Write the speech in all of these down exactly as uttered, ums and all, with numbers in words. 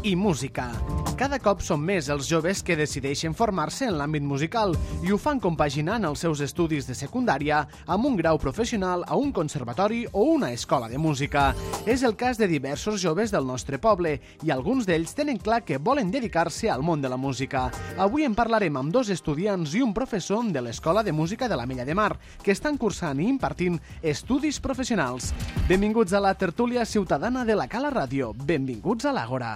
i música. Cada cop són més els joves que decideixen formar-se en l'àmbit musical i ho fan compaginant els seus estudis de secundària amb un grau professional a un conservatori o una escola de música. És el cas de diversos joves del nostre poble i alguns d'ells tenen clar que volen dedicar-se al món de la música. Avui en parlarem amb dos estudiants i un professor de l'Escola de Música de l'Ametlla de Mar que estan cursant i impartint estudis professionals. Benvinguts a la tertúlia ciutadana de la Cala Ràdio. Benvinguts a l'Àgora.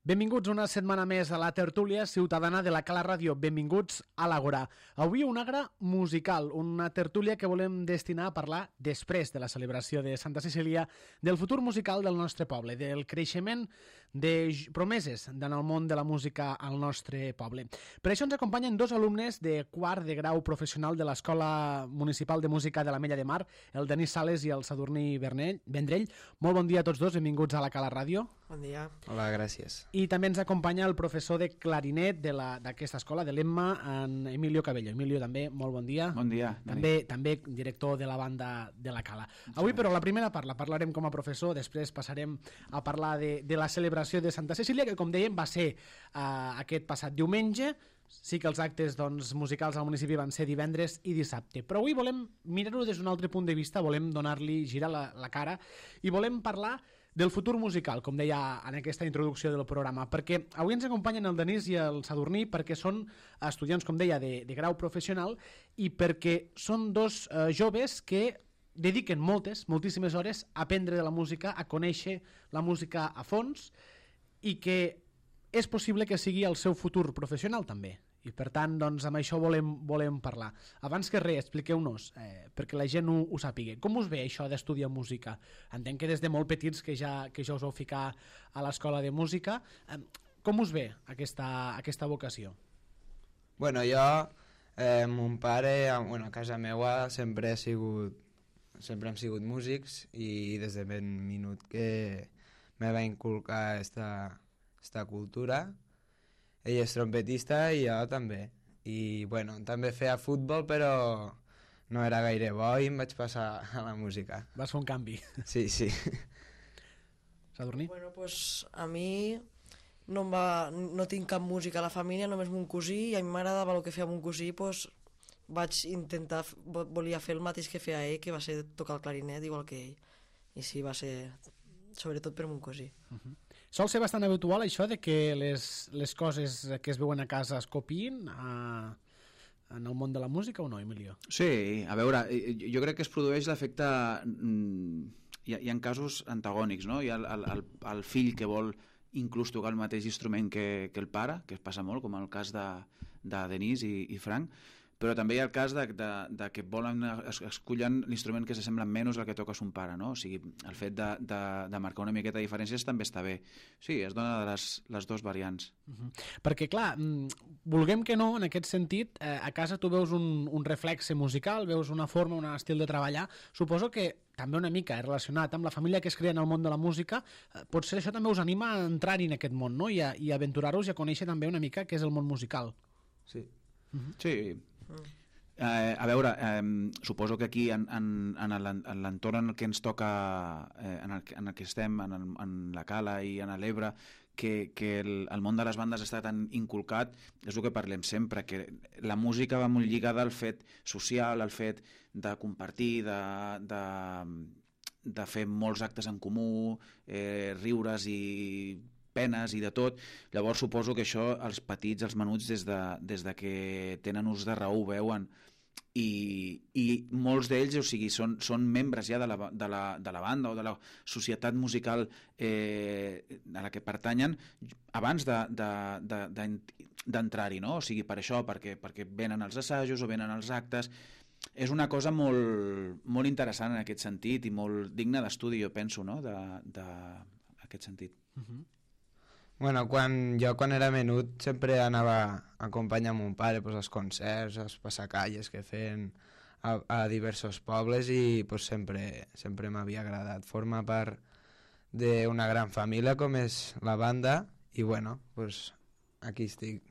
Benvinguts una setmana més a la tertúlia ciutadana de la Cala Ràdio. Benvinguts a l'Àgora. Avui una àgora musical, una tertúlia que volem destinar a parlar després de la celebració de Santa Cecília del futur musical del nostre poble, del creixement de promeses en el món de la música al nostre poble. Per això ens acompanyen dos alumnes de quart de grau professional de l'Escola Municipal de Música de l'Ametlla de Mar, el Denis Sales i el Sadurní Vendrell. Molt bon dia a tots dos, benvinguts a la Cala Ràdio. Bon dia. Hola, gràcies. I també ens acompanya el professor de clarinet d'aquesta escola, de l'Emma, en Emilio Cabello. Emilio, també, molt bon dia. Bon dia. També, també director de la banda de la Cala. Avui, però, la primera part la parlarem com a professor, després passarem a parlar de, de la celebració de Santa Cecília, que, com dèiem, va ser uh, aquest passat diumenge. Sí que els actes doncs, musicals al municipi van ser divendres i dissabte, però avui volem mirar-ho des d'un altre punt de vista, volem donar-li, girar la, la cara i volem parlar del futur musical, com deia en aquesta introducció del programa, perquè avui ens acompanyen el Denis i el Sadurní perquè són estudiants, com deia, de, de grau professional i perquè són dos eh, joves que dediquen moltes, moltíssimes hores a aprendre de la música, a conèixer la música a fons i que és possible que sigui el seu futur professional també. I per tant, doncs, amb això volem, volem parlar. Abans que res, expliqueu-nos, eh, perquè la gent ho, ho sàpiga. Com us ve això d'estudiar música? Entenc que des de molt petits que ja, que ja us vau ficar a l'escola de música. Eh, com us ve aquesta, aquesta vocació? Bueno, jo, eh, mon pare, bueno, a casa meua sempre he sigut, sempre hem sigut músics i des de ben minut que me va inculcar esta, esta cultura. Ell és trompetista i jo també. I, bueno, també feia futbol, però no era gaire bo i em vaig passar a la música. Vas fer un canvi. Sí, sí. Sadurní? Bueno, pues a mi no, em va, no tinc cap música a la família, només mon cosí, i a mi m'agradava el que feia mon cosí, pues vaig intentar, volia fer el mateix que feia ell, que va ser tocar el clarinet igual que ell. I sí, va ser sobretot per mon cosí. Uh-huh. Sol ser bastant habitual això de que les, les coses que es veuen a casa es copiïn a, en el món de la música o no, Emilio? Sí, a veure, jo crec que es produeix l'efecte... Hi ha, hi ha casos antagònics, no? Hi ha el, el, el fill que vol inclús tocar el mateix instrument que, que el pare, que es passa molt, com el cas de, de Denis i, i Frank, però també hi ha el cas de, de, de que volen es, escollen l'instrument que s'assembla menys al que toca son pare, no? O sigui, el fet de, de, de marcar una miqueta de diferències també està bé. Sí, es dona de les, les dues variants. Uh-huh. Perquè, clar, vulguem que no, en aquest sentit, eh, a casa tu veus un, un reflexe musical, veus una forma, un estil de treballar. Suposo que també una mica relacionat amb la família que es crea en el món de la música, eh, potser això també us anima a entrar-hi en aquest món, no? I a, i a aventurar-vos i a conèixer també una mica què és el món musical. Sí. Uh-huh. Sí. Mm. Eh, a veure, eh, suposo que aquí en, en, en l'entorn en el que ens toca, eh, en, el, en el que estem, en, el, en la Cala i en l'Ebre, que, que el, el món de les bandes està tan inculcat, és el que parlem sempre, que la música va molt lligada al fet social, al fet de compartir, de, de, de fer molts actes en comú, eh, riures i penes i de tot. Llavors suposo que això els petits, els menuts, des de, des de que tenen ús de raó ho veuen i, i molts d'ells, o sigui, són, són membres ja de la, de, la, de la banda o de la societat musical eh, a la que pertanyen abans de, de, de, de, d'entrar-hi, no? O sigui, per això, perquè, perquè venen els assajos o venen els actes. És una cosa molt, molt interessant en aquest sentit i molt digna d'estudi, jo penso, no? De, de, en aquest sentit. Uh-huh. Bueno, quan, jo quan era menut sempre anava a acompanyar mon pare pues, als concerts, als passacalles que feien a, a diversos pobles i pues, sempre, sempre m'havia agradat formar part d'una gran família com és la banda i bueno, pues, aquí estic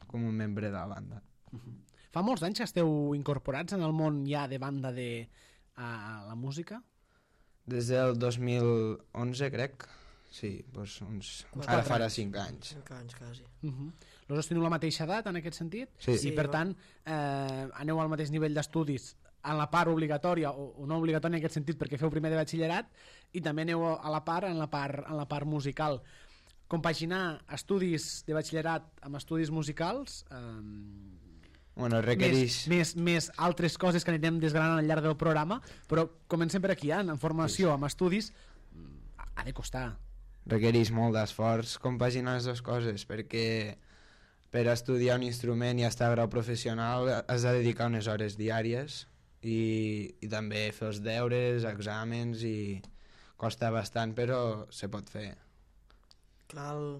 com un membre de la banda. Uh-huh. Fa molts anys que esteu incorporats en el món ja de banda de a la música? Des del dos mil onze, crec. Sí, doncs uns... Quatre ara farà anys. cinc anys. Cinc anys, quasi. Uh-huh. Los dos teniu la mateixa edat, en aquest sentit? Sí. I, per tant, eh, aneu al mateix nivell d'estudis en la part obligatòria, o, o no obligatòria en aquest sentit, perquè feu primer de batxillerat, i també aneu a la part en la part, en la part musical. Compaginar estudis de batxillerat amb estudis musicals... Eh, Bueno, requereix... Més, més, més altres coses que anirem desgranant al llarg del programa, però comencem per aquí, eh? En formació, amb estudis, ha de costar. Requereix molt d'esforç compaginar les dues coses, perquè per estudiar un instrument i estar a grau professional has de dedicar unes hores diàries i, i també fer els deures, exàmens, i costa bastant, però se pot fer. Clar, al,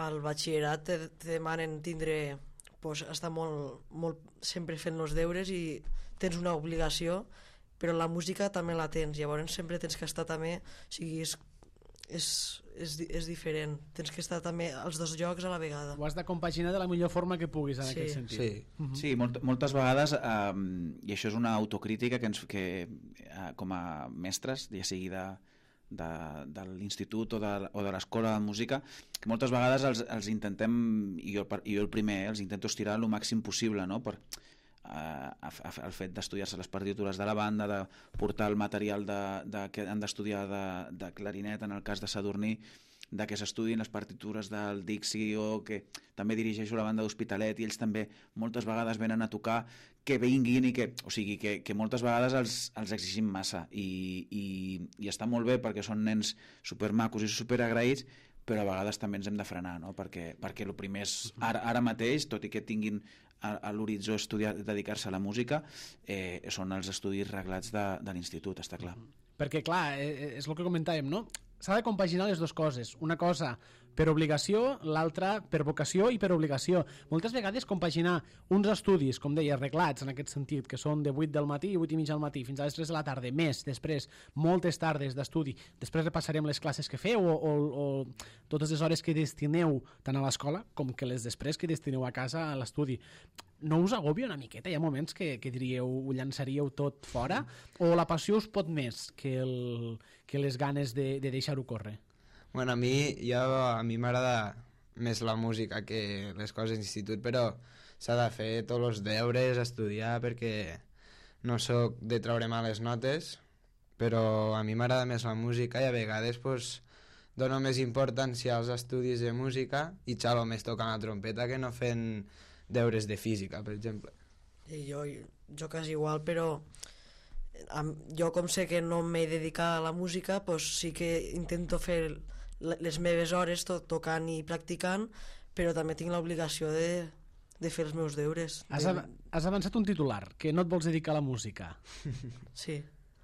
al batxillerat te, te demanen tindre... Pues, estar molt, molt sempre fent els deures i tens una obligació, però la música també la tens, llavors sempre tens que estar també, o sigui, és, és, és, és diferent, tens que estar també als dos llocs a la vegada. Ho has de compaginar de la millor forma que puguis en Sí. aquest sentit. Sí, Uh-huh. Sí, molt, moltes vegades, eh, i això és una autocrítica que, ens, que eh, com a mestres, ja sigui de, de, de l'institut o de, o de l'escola de música, que moltes vegades els, els intentem, i jo, i jo el primer, eh, els intento estirar el màxim possible, no? Per, eh, el fet d'estudiar-se les partitures de la banda, de portar el material de, de, que han d'estudiar de, de clarinet, en el cas de Sadurní, de que s'estudin les partitures del Dixi, o que també dirigeixo la banda d'Hospitalet i ells també moltes vegades venen a tocar, que vinguin i que, o sigui, que, que moltes vegades els, els exigim massa i, i, i està molt bé perquè són nens supermacos i superagraïts, però a vegades també ens hem de frenar, no? perquè, perquè el primer és ara, ara mateix, tot i que tinguin a, a l'horitzó estudiar, dedicar-se a la música, eh, són els estudis reglats de, de l'institut, està clar. Perquè, clar, eh, és el que comentàvem, no? S'ha de compaginar les dues coses. Una cosa per obligació, l'altra per vocació i per obligació. Moltes vegades compaginar uns estudis, com deia, reglats en aquest sentit, que són de vuit del matí i vuit i mitja al matí fins a les tres de la tarda, més després moltes tardes d'estudi, després repassarem les classes que feu o, o, o totes les hores que destineu tant a l'escola com que les després que destineu a casa a l'estudi. No us agobia una miqueta? Hi ha moments que, que diríeu, ho llançaríeu tot fora? O la passió us pot més que, el, que les ganes de, de deixar-ho córrer? Bueno, a mi, jo, a mi m'agrada més la música que les coses d'institut, però s'ha de fer tots els deures, estudiar, perquè no sóc de treure males notes, però a mi m'agrada més la música i a vegades pues, dono més importància als estudis de música i xalo més tocant la trompeta que no fent deures de física, per exemple. I jo, jo quasi igual, però amb, jo com sé que no m'he dedicat a la música, pues sí que intento fer les meves hores to tocant i practicant, però també tinc l'obligació de, de fer els meus deures. Has, av has avançat un titular, que no et vols dedicar a la música. Sí.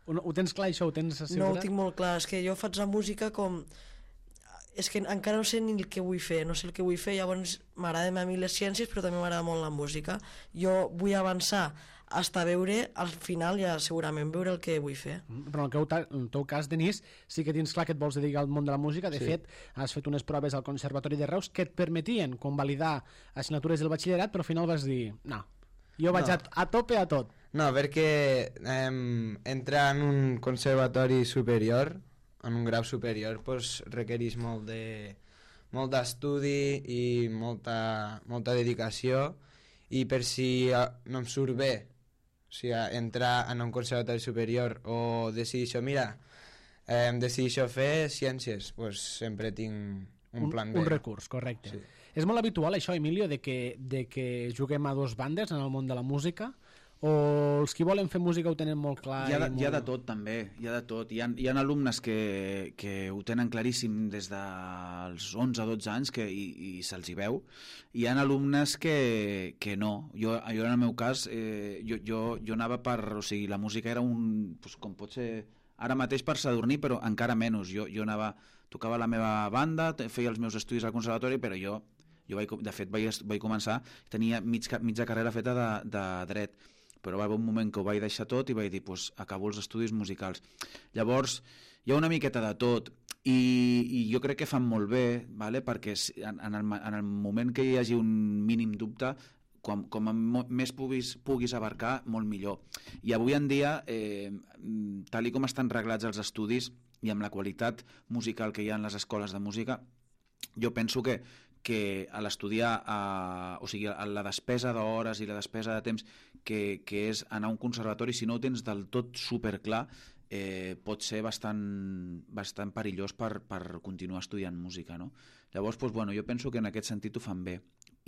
Ho, ho tens clar, això? Ho tens assegurat? No ho tinc molt clar, és que jo faig la música com... És que encara no sé ni el que vull fer, no sé el que vull fer, llavors m'agraden a mi les ciències, però també m'agrada molt la música. Jo vull avançar hasta veure, al final ja segurament veure el que vull fer. Però en el, teu, en el teu cas, Denis, sí que tens clar que et vols dedicar al món de la música. De sí. fet, has fet unes proves al Conservatori de Reus que et permetien convalidar assignatures del batxillerat, però al final vas dir, no, jo vaig no. a, a tope a tot. No, perquè eh, entrar en un conservatori superior, en un grau superior, pues, requereix molt de molt d'estudi i molta, molta dedicació, i per si no em surt bé, o sigui, entrar en un conservatori superior o decidir, mira, eh, decidir fer ciències, pues, sempre tinc un, un plan B. Un recurs, correcte. Sí. És molt habitual això, Emilio, de que, de que juguem a dos bandes en el món de la música, o els que volen fer música ho tenen molt clar? Hi ha de, molt... hi ha de tot, també. Hi ha de tot. Hi ha, hi ha alumnes que, que ho tenen claríssim des dels onze o dotze anys que, i, i se'ls hi veu. Hi ha alumnes que, que no. Jo, jo, en el meu cas, eh, jo, jo, jo anava per... O sigui, la música era un... Pues, com pot ser ara mateix per Sadurní, però encara menys. Jo, jo anava... Tocava la meva banda, feia els meus estudis al conservatori, però jo... jo vaig, de fet, vaig, vaig començar... Tenia mig, mitja carrera feta de, de dret. però va haver un moment que ho vaig deixar tot i vaig dir, pues, acabo els estudis musicals. Llavors, hi ha una miqueta de tot, i, i jo crec que fan molt bé, vale? Perquè en, en, el, en el moment que hi hagi un mínim dubte, com, com més puguis, puguis abarcar, molt millor. I avui en dia, eh, tal i com estan reglats els estudis i amb la qualitat musical que hi ha en les escoles de música, jo penso que, que a l'estudiar, o sigui, a la despesa d'hores i la despesa de temps que, que és anar a un conservatori, si no ho tens del tot superclar, eh, pot ser bastant, bastant perillós per, per continuar estudiant música, no? Llavors, doncs, bueno, jo penso que en aquest sentit ho fan bé.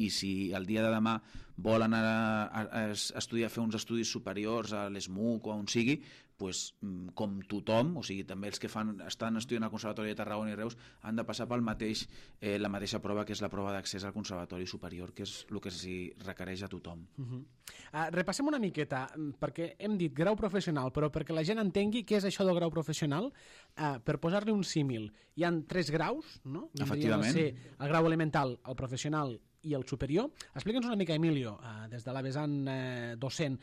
I si el dia de demà volen anar a, a, a estudiar, a fer uns estudis superiors a l'ESMUC o on sigui, pues, com tothom, o sigui, també els que fan, estan estudiant al Conservatori de Tarragona i Reus han de passar pel mateix, eh, la mateixa prova, que és la prova d'accés al Conservatori Superior, que és el que s'hi requereix a tothom. Uh -huh. uh, repassem una miqueta, perquè hem dit grau professional, però perquè la gent entengui què és això del grau professional, uh, per posar-li un símil, hi han tres graus, no? Efectivament. Ser el grau elemental, el professional i el superior. Explica'ns una mica, Emilio, uh, des de la vessant uh, docent,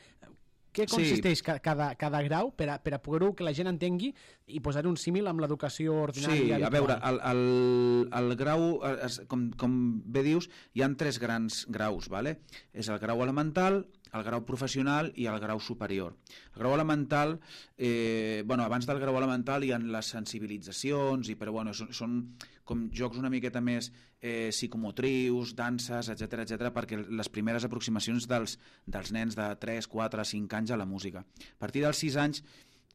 què consisteix sí. cada, cada grau per a, per a poder-ho que la gent entengui i posar un símil amb l'educació ordinària sí, habitual. A veure, el, el, el grau, com, com bé dius, hi ha tres grans graus, ¿vale? És el grau elemental, el grau professional i el grau superior. El grau elemental, eh, bueno, abans del grau elemental hi ha les sensibilitzacions, i, però bueno, són, són com jocs una miqueta més eh, psicomotrius, danses, etcètera, etcètera, perquè les primeres aproximacions dels, dels nens de tres, quatre, cinc anys a la música. A partir dels sis anys,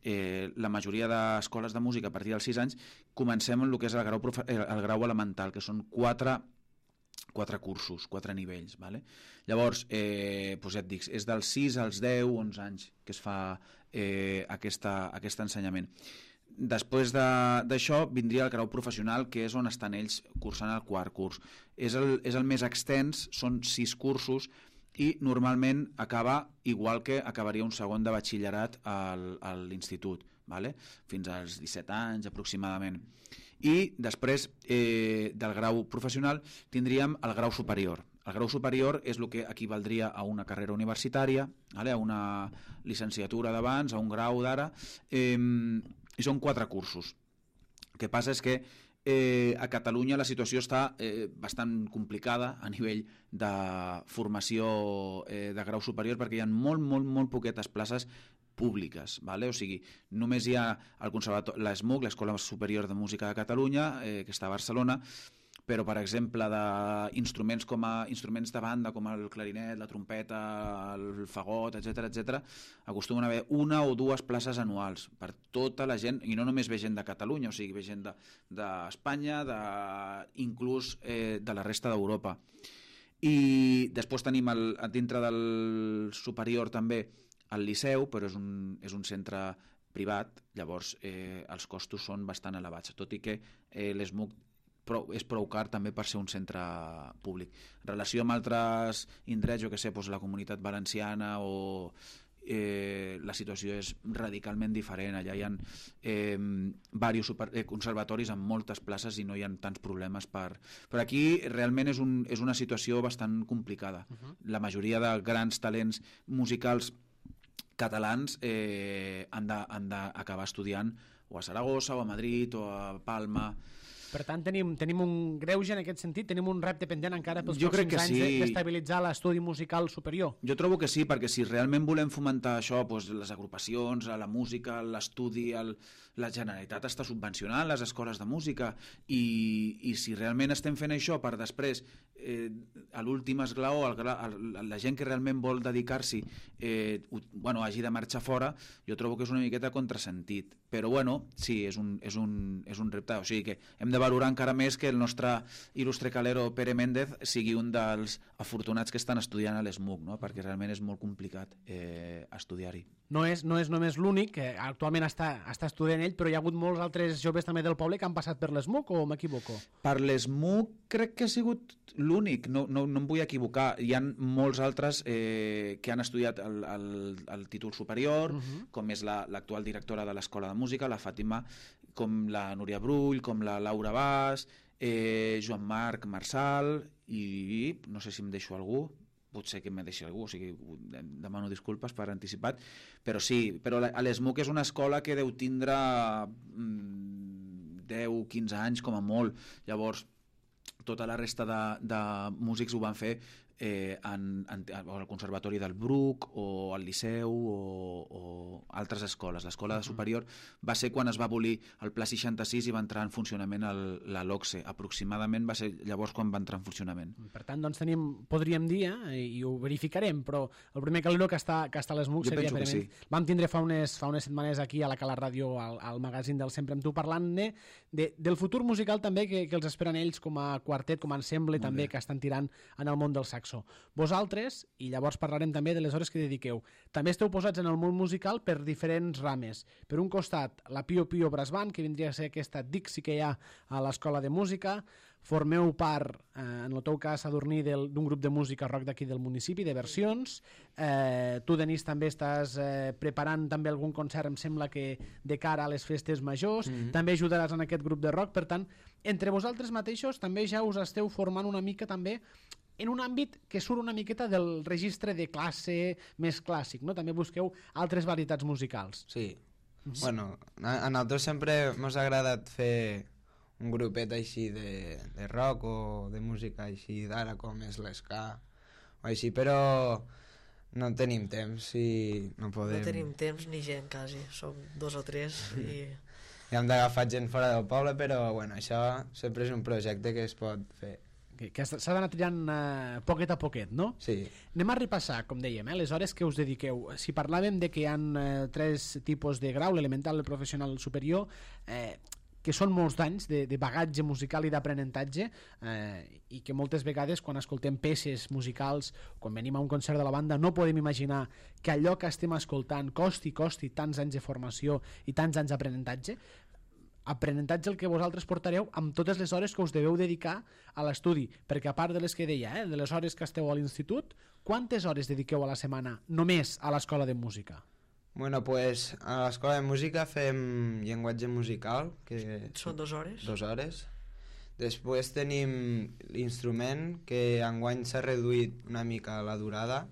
eh, la majoria d'escoles de música, a partir dels sis anys, comencem amb el que és el grau, el grau elemental, que són quatre quatre cursos, quatre nivells, ¿vale? Llavors, eh, doncs ja et dic, és dels sis als deu, onze anys que es fa eh, aquesta, aquest ensenyament. Després d'això vindria el grau professional, que és on estan ells cursant el quart curs. És el, és el més extens, són sis cursos, i normalment acaba igual que acabaria un segon de batxillerat al, a l'institut, ¿vale? Fins als disset anys aproximadament. I després eh, del grau professional tindríem el grau superior. El grau superior és el que equivaldria a una carrera universitària, ¿vale? A una llicenciatura d'abans, a un grau d'ara, eh, i són quatre cursos. El que passa és que eh, a Catalunya la situació està eh, bastant complicada a nivell de formació eh, de grau superior, perquè hi ha molt, molt, molt poquetes places públiques, ¿vale? O sigui, només hi ha el conservatori, l'ESMUC, l'Escola Superior de Música de Catalunya, eh, que està a Barcelona, però, per exemple, d'instruments com a instruments de banda, com el clarinet, la trompeta, el fagot, etcètera, etcètera, acostumen a haver una o dues places anuals per tota la gent, i no només ve gent de Catalunya, o sigui, ve gent d'Espanya, de, de, inclús eh, de la resta d'Europa. I després tenim el, dintre del superior també el Liceu, però és un, és un centre privat, llavors eh, els costos són bastant elevats, tot i que eh, l'ESMUC prou, és prou car també per ser un centre públic. En relació amb altres indrets, jo que sé, doncs la Comunitat Valenciana o eh, la situació és radicalment diferent. Allà hi ha eh, diversos super, eh, conservatoris amb moltes places i no hi ha tants problemes per... Però aquí realment és, un, és una situació bastant complicada. Uh-huh. La majoria de grans talents musicals catalans eh, han d'acabar estudiant o a Saragossa, o a Madrid, o a Palma. Per tant, tenim, tenim un greuge en aquest sentit, tenim un repte pendent encara pels jo pròxims anys sí. d'estabilitzar l'estudi musical superior. Jo trobo que sí, perquè si realment volem fomentar això, doncs les agrupacions, la música, l'estudi, el, la Generalitat està subvencionant les escoles de música, i, i si realment estem fent això per després, eh, a l'últim esglaó, el, el, la gent que realment vol dedicar-s'hi eh, bueno, hagi de marxar fora, jo trobo que és una miqueta contrasentit. Però bueno, sí, és un, és un, és un repte, o sigui que hem de valorar encara més que el nostre il·lustre calero Pere Méndez sigui un dels afortunats que estan estudiant a l'ESMUC, no? Perquè realment és molt complicat eh, estudiar-hi. No és, no és només l'únic, que actualment està, està estudiant ell, però hi ha hagut molts altres joves també del poble que han passat per l'ESMUC, o m'equivoco? Per l'ESMUC crec que ha sigut l'únic, no, no, no em vull equivocar. Hi ha molts altres eh, que han estudiat el, el, el títol superior, uh-huh. com és l'actual la, directora de l'Escola de Música, la Fàtima, com la Núria Brull, com la Laura Bas, eh, Joan Marc Marçal, i no sé si em deixo algú, potser que me deixi algú, o sigui, demano disculpes per anticipat, però sí, però a l'ESMUC és una escola que deu tindre deu o quinze anys com a molt, llavors tota la resta de, de músics ho van fer eh, en, en, al Conservatori del Bruc o al Liceu o, o altres escoles. L'escola superior va ser quan es va abolir el Pla seixanta-sis i va entrar en funcionament el, la LOCSE. Aproximadament va ser llavors quan va entrar en funcionament. Per tant, doncs tenim, podríem dir, eh, i ho verificarem, però el primer calor que està, que està a l'ESMUC seria... Jo penso que sí. Vam tindre fa unes, fa unes setmanes aquí a la Cala Ràdio, al, al magazín del Sempre amb tu, parlant-ne de, del futur musical també que, que els esperen ells com a quartet, com a ensemble Molt també, bé. que estan tirant en el món del saxo. Vosaltres, i llavors parlarem també de les hores que dediqueu, també esteu posats en el món musical per diferents rames. Per un costat, la Pio Pio Brass Band, que vindria a ser aquesta Dixie que hi ha a l'Escola de Música. Formeu part, eh, en el teu cas, Sadurní, d'un grup de música rock d'aquí del municipi, de versions. Eh, tu, Denis, també estàs eh, preparant també algun concert, em sembla que de cara a les festes majors. Mm-hmm. També ajudaràs en aquest grup de rock. Per tant, entre vosaltres mateixos també ja us esteu formant una mica també en un àmbit que surt una miqueta del registre de classe més clàssic, no? També busqueu altres varietats musicals. Sí. Mm-hmm. Bueno, a, a nosaltres sempre mos ha agradat fer un grupet així de, de rock o de música així d'ara com és l'esca o així, però no tenim temps i no podem... No tenim temps ni gent, quasi. Som dos o tres i... I hem d'agafar gent fora del poble, però bueno, això sempre és un projecte que es pot fer. Que, que s'ha d'anar triant eh, poquet a poquet, no? Sí. Anem a repassar, com dèiem, eh, les hores que us dediqueu. Si parlàvem de que hi ha eh, tres tipus de grau, l'elemental, el professional, el superior, eh, que són molts d'anys de, de bagatge musical i d'aprenentatge, eh, i que moltes vegades quan escoltem peces musicals, quan venim a un concert de la banda, no podem imaginar que allò que estem escoltant costi, costi tants anys de formació i tants anys d'aprenentatge. Aprenentatge el que vosaltres portareu amb totes les hores que us deveu dedicar a l'estudi, perquè a part de les que deia, eh, de les hores que esteu a l'institut, quantes hores dediqueu a la setmana només a l'escola de música? Bueno, pues a l'escola de música fem llenguatge musical, que Són dues hores. dues hores. Després tenim l'instrument, que enguany s'ha reduït una mica la durada.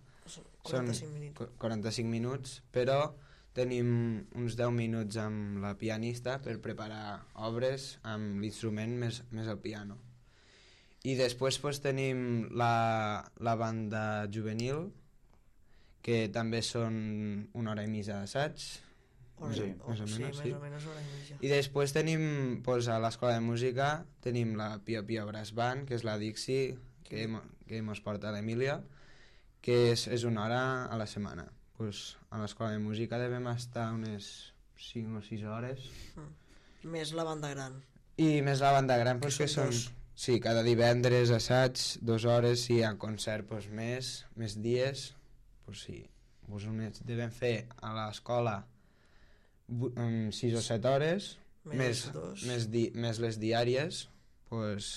quaranta-cinc minuts. Són quaranta-cinc minuts, però tenim uns deu minuts amb la pianista per preparar obres amb l'instrument més, més el piano. I després pues, tenim la, la banda juvenil, que també són una hora i mitja d'assaig, Hora, sí, o, més o sí, menys, més sí. o menys hora i mitja. I després tenim, pues, a l'escola de música, tenim la Pio Pio Brass Band, que és la Dixie, que, mo- que mos porta l'Emília, que és, és una hora a la setmana. Pues, a l'escola de música devem estar unes cinc o sis hores. Mm. Més la banda gran. I més la banda gran, pues, Que que, són són... dos. Sí, cada divendres assaig, dues hores, si hi ha concert, pues, més, més dies, pues, sí. Pues, unes, devem fer a l'escola vu- um, sis o set hores, Més més, dos. més, di, més les diàries, pues,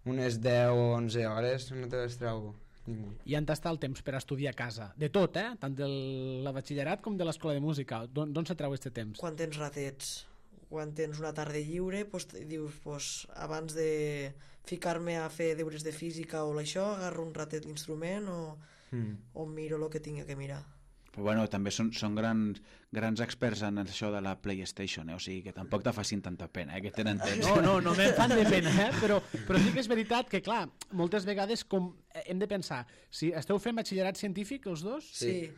unes deu o onze hores, no te les treu ningú. I on està el temps per estudiar a casa? De tot, eh? Tant del la batxillerat com de l'escola de música. D'on d'on se treu aquest temps? Quan tens ratets, quan tens una tarda lliure, pues, dius, pues, abans de ficar-me a fer deures de física o això, agarro un ratet l'instrument o, Mm. o miro el que tinc que mirar. Però bueno, també són, són grans, grans experts en això de la PlayStation, eh? O sigui que tampoc te facin tanta pena, eh? Que tenen temps. No, no, no me'n fan de pena, eh? Però, però sí que és veritat que, clar, moltes vegades com hem de pensar, si esteu fent batxillerat científic, els dos, Sí.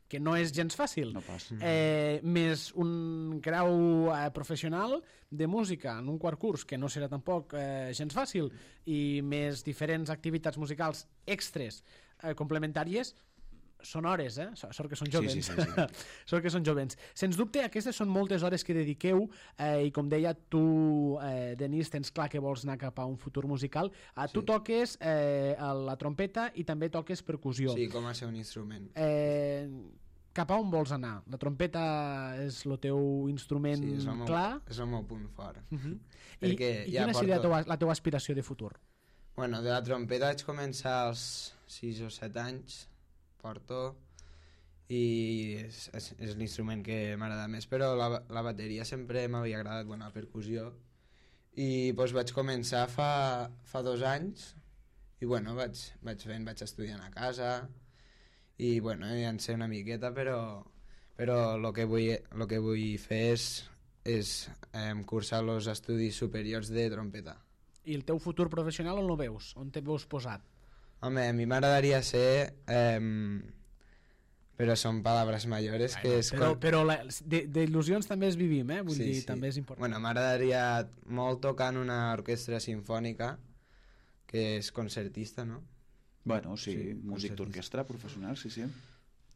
que no és gens fàcil, No pas. eh, més un grau eh, professional de música en un quart curs, que no serà tampoc eh, gens fàcil, i més diferents activitats musicals extres eh, complementàries, són hores, eh? Sort que són Sí, jovens. sí, sí, sí. Sort que són jovens. Sens dubte, aquestes són moltes hores que dediqueu eh, i com deia, tu, eh, Denis, tens clar que vols anar cap a un futur musical. Eh, tu Sí. toques eh, la trompeta i també toques percussió. Sí, com a ser un instrument. Eh, cap a on vols anar? La trompeta és el teu instrument Sí, és el meu, clar? és el meu punt fort. Uh -huh. I, Perquè i ja quina seria la porto- teua, la teua aspiració de futur? Bueno, de la trompeta vaig començar als sis o set anys, porto, i és, és, és l'instrument que m'agrada més, però la, la bateria sempre m'havia agradat, bueno, la percussió, i doncs vaig començar fa, fa dos anys, i bueno, vaig, vaig fent, vaig estudiant a casa i bueno, ja en sé una miqueta, però però el que vull, lo que vull fer és, és eh, cursar els estudis superiors de trompeta. I el teu futur professional on lo veus? On te veus posat? Home, a mi m'agradaria ser... Eh, però són paraules mayores que és... Però, quan... però la- de- d'il·lusions també es vivim, eh? Vull dir, també és important. Bueno, m'agradaria molt tocar en una orquestra sinfònica, que és concertista, no? Bueno, sí, Sí, músic concertista. d'orquestra professional, sí, sí.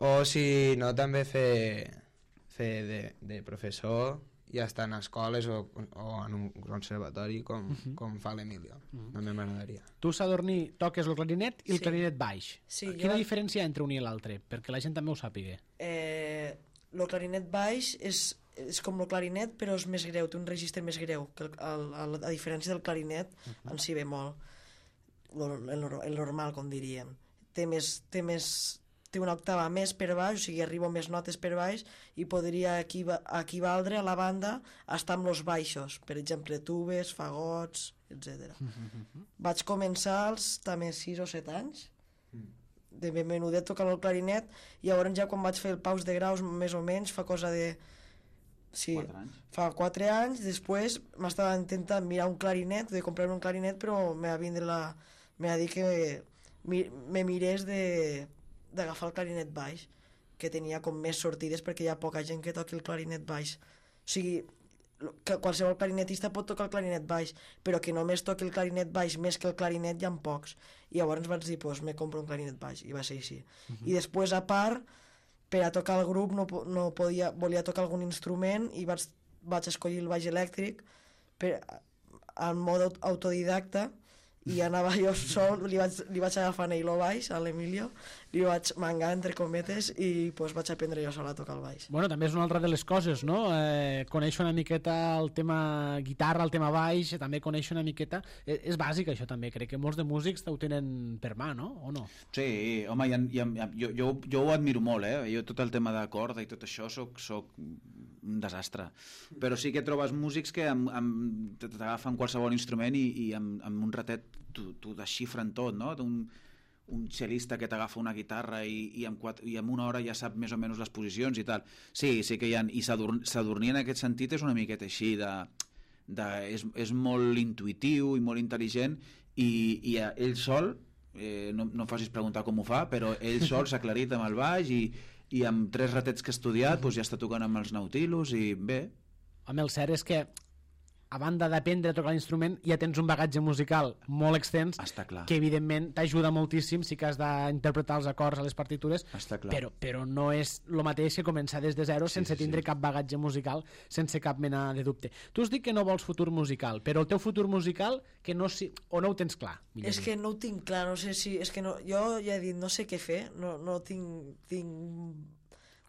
O si no, també fer, fer de, de professor i estar en escoles o, o en un conservatori com, uh -huh. com fa l'Emilio. Uh -huh. També m'agradaria. Tu, Sadurní, toques el clarinet i el Sí. clarinet baix. Sí, Quina jo- diferència hi ha entre un i l'altre? Perquè la gent també ho sàpiga. Eh, el clarinet baix és, és com el clarinet, però és més greu, té un registre més greu, que el, el, el, a diferència del clarinet, en si bemol, el, el, el normal, com diríem. Té més, té més té una octava més per baix, o sigui, arriba més notes per baix i podria equiva equivaldre a la banda a estar amb els baixos, per exemple, tubes, fagots, etcètera. Vaig començar als també sis o set anys, de ben menudet tocant el clarinet, i llavors ja quan vaig fer el paus de graus, més o menys, fa cosa de... Sí, Quatre anys. fa quatre anys, després m'estava intentant mirar un clarinet, de comprar-me un clarinet, però me va vindre la... me va dir que mi, me mirés de d'agafar el clarinet baix, que tenia com més sortides perquè hi ha poca gent que toqui el clarinet baix. O sigui, lo- que qualsevol clarinetista pot tocar el clarinet baix, però que només toqui el clarinet baix més que el clarinet hi ha pocs. I llavors vaig dir, pues, me compro un clarinet baix, i va ser així. Uh -huh. I després, a part, per a tocar el grup no, po- no podia, volia tocar algun instrument i vaig, vaig escollir el baix elèctric per, en mode aut- autodidacta, i anava jo sol, li vaig, li vaig agafar ell el baix, a l'Emilio, li vaig mangar, entre cometes, i pues, vaig aprendre jo sol a tocar el baix. Bueno, també és una altra de les coses, no? Eh, conèixer una miqueta el tema guitarra, el tema baix, també conèixer una miqueta... Eh, és bàsic, això, també. Crec que molts de músics ho tenen per mà, no? O no? Sí, home, hi ha, hi ha, jo, jo, jo ho admiro molt, eh? Jo tot el tema de corda i tot això soc, soc un desastre. Però sí que trobes músics que amb, amb, t'agafen qualsevol instrument i, i amb, amb un ratet t'ho desxifren tot, no? Un, un cel·lista que t'agafa una guitarra i, i, amb quatre, i en una hora ja sap més o menys les posicions i tal. Sí, sí que hi ha... I Sadurní, Sadurní en aquest sentit és una miqueta així, de, de, és, és molt intuïtiu i molt intel·ligent i, i ell sol, eh, no, no em facis preguntar com ho fa, però ell sol s'ha aclarit amb el baix i, i amb tres ratets que ha estudiat doncs ja està tocant amb els Nautilus i bé. Home, el cert és que a banda d'aprendre a tocar l'instrument, ja tens un bagatge musical molt extens, Està clar. que evidentment t'ajuda moltíssim si que has d'interpretar els acords a les partitures, Està clar. però, però no és el mateix que començar des de zero Sí, sense sí, tindre sí. cap bagatge musical, sense cap mena de dubte. Tu has dit que no vols futur musical, però el teu futur musical que no si... o no ho tens clar? millor És dit. que no ho tinc clar, no sé si... És que no, jo ja he dit, no sé què fer, no, no tinc... tinc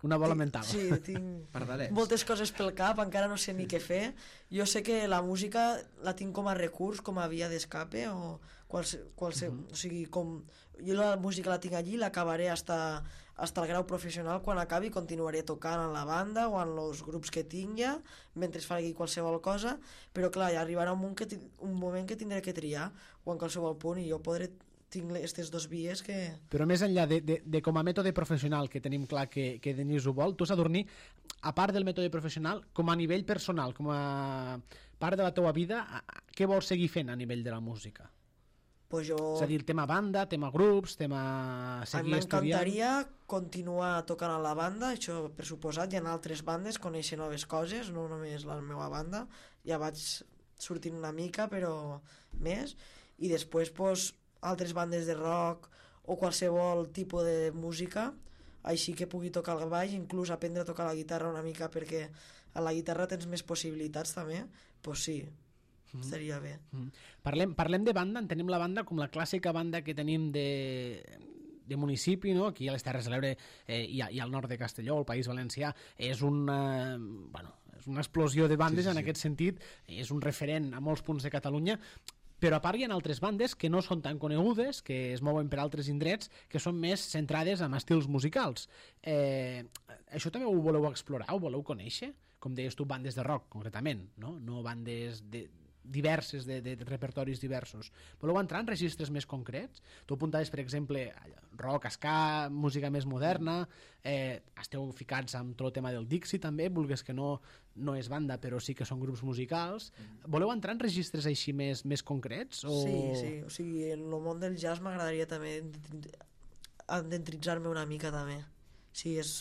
Una bola tinc- mental. Sí, tinc Pardalets. moltes coses pel cap, encara no sé ni què fer. Jo sé que la música la tinc com a recurs, com a via d'escape, o qualse, qualse, uh -huh. o sigui, com... Jo la música la tinc allí, l'acabaré hasta, hasta el grau professional, quan acabi continuaré tocant en la banda o en els grups que tinga, mentre faci qualsevol cosa, però clar, ja arribarà un moment que, ti- un moment que tindré que triar, o en qualsevol punt, i jo podré tinc aquestes dos vies que... Però més enllà de, de, de com a mètode professional, que tenim clar que, que Denis ho vol, tu, Sadurní, a part del mètode professional, com a nivell personal, com a part de la teua vida, a- a- què vols seguir fent a nivell de la música? Pues jo... És a dir, el tema banda, tema grups, tema A mi seguir estudiant... m'encantaria continuar tocant a la banda, això per suposat, hi ha altres bandes, conèixer noves coses, no només la meva banda, ja vaig sortint una mica, però més, i després pues, altres bandes de rock o qualsevol tipus de música, així que pugui tocar el baix, inclús aprendre a tocar la guitarra una mica, perquè a la guitarra tens més possibilitats també, pues sí, mm-hmm. estaria bé. Mm. Parlem, parlem de banda, entenem la banda com la clàssica banda que tenim de, de municipi, no? Aquí a les Terres de l'Ebre eh, i, a, i al nord de Castelló, al País Valencià, és una, bueno, és una explosió de bandes Sí, sí, en sí. aquest sentit, és un referent a molts punts de Catalunya, però a part hi ha altres bandes que no són tan conegudes, que es mouen per altres indrets, que són més centrades en estils musicals. Eh, això també ho voleu explorar, ho voleu conèixer? Com deies tu, bandes de rock, concretament, no? No bandes de, diverses, de, de repertoris diversos. Voleu entrar en registres més concrets? Tu apuntaves, per exemple, rock, ska, música més moderna, eh, esteu ficats amb tot el tema del Dixie també, vulgues que no, no és banda, però sí que són grups musicals. Voleu entrar en registres així més, més concrets? O... Sí, sí, o sigui, en el món del jazz m'agradaria també endentritzar-me una mica també. Sí, és...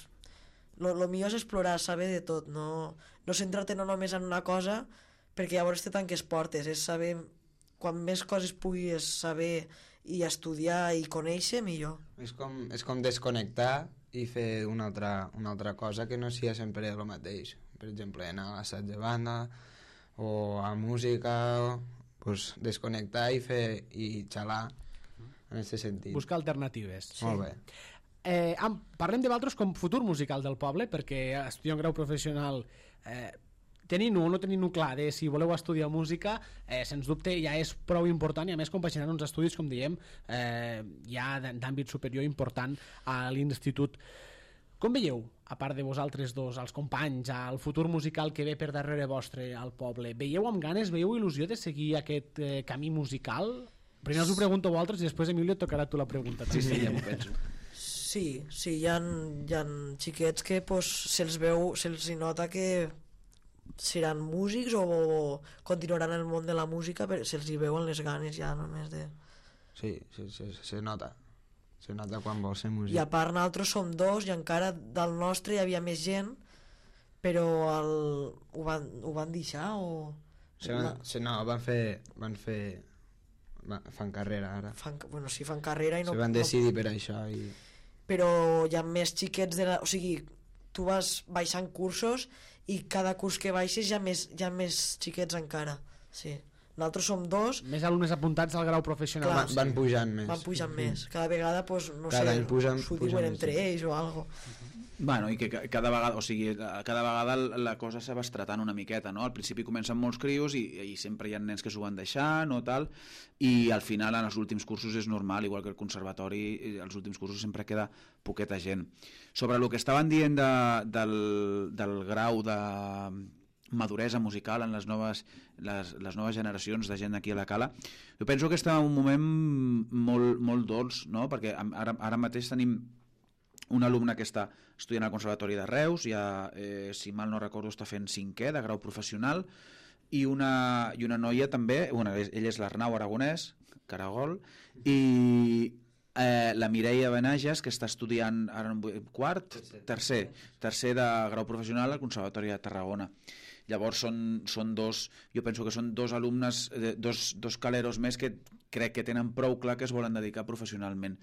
Lo, lo millor és explorar, saber de tot, no, no centrar-te no només en una cosa, perquè llavors te tanques portes, és saber, quan més coses puguis saber i estudiar i conèixer, millor. És com, és com desconnectar i fer una altra, una altra cosa que no sigui sempre el mateix. Per exemple, anar a l'assaig de banda o a música, pues, desconnectar i fer i xalar en aquest sentit. Buscar alternatives. Sí. Molt bé. Eh, am, parlem de vosaltres com futur musical del poble, perquè estudiar un grau professional... Eh, tenint-ho o no tenint-ho clar de si voleu estudiar música, eh, sens dubte ja és prou important, i a més compaginant uns estudis, com diem, eh, ja d'àmbit superior important a l'institut. Com veieu, a part de vosaltres dos, els companys, el futur musical que ve per darrere vostre al poble? Veieu amb ganes, veieu il·lusió de seguir aquest eh, camí musical? Primer us ho pregunto a vosaltres i després, Emilio, et tocarà tu la pregunta. Sí, sí, ja m'ho penso. Sí, sí, hi ha, hi ha xiquets que pues, se'ls veu, se'ls nota que seran músics o continuaran el món de la música, però se'ls hi veuen les ganes ja només de... Sí, se, se, se nota. Se nota quan vol ser músic. I a part nosaltres som dos i encara del nostre hi havia més gent, però el... ho, van, ho van deixar o... Se van, se, no, van fer... Van fer van, fan carrera ara. Fan, bueno, sí, fan carrera i no... Se van decidir no... per això i... Però hi ha més xiquets de la... O sigui, tu vas baixant cursos i cada curs que baixes hi ha més, hi ha més xiquets encara, sí. Nosaltres som dos. Més alumnes apuntats al grau professional. Clar, van, van pujant més. Van pujant més. Cada vegada, pues, no cada sé, s'ho diuen entre més. ells o algo. Bueno, i que cada vegada, o sigui, cada vegada la cosa se va estratant una miqueta, no? Al principi comencen molts crios i, i sempre hi ha nens que s'ho van deixar, no tal, i al final en els últims cursos és normal, igual que el conservatori, als últims cursos sempre queda poqueta gent. Sobre el que estaven dient de, del, del grau de maduresa musical en les noves, les, les noves generacions de gent aquí a la Cala, jo penso que estem en un moment molt, molt dolç, no? Perquè ara, ara mateix tenim un alumne que està estudiant al Conservatori de Reus, ja, eh, si mal no recordo, està fent cinquè de grau professional, i una, i una noia també, bueno, ell és l'Arnau Aragonès, Caragol, i eh, la Mireia Benages, que està estudiant ara quart, tercer, tercer de grau professional al Conservatori de Tarragona. Llavors són, són dos, jo penso que són dos alumnes, dos, dos caleros més que crec que tenen prou clar que es volen dedicar professionalment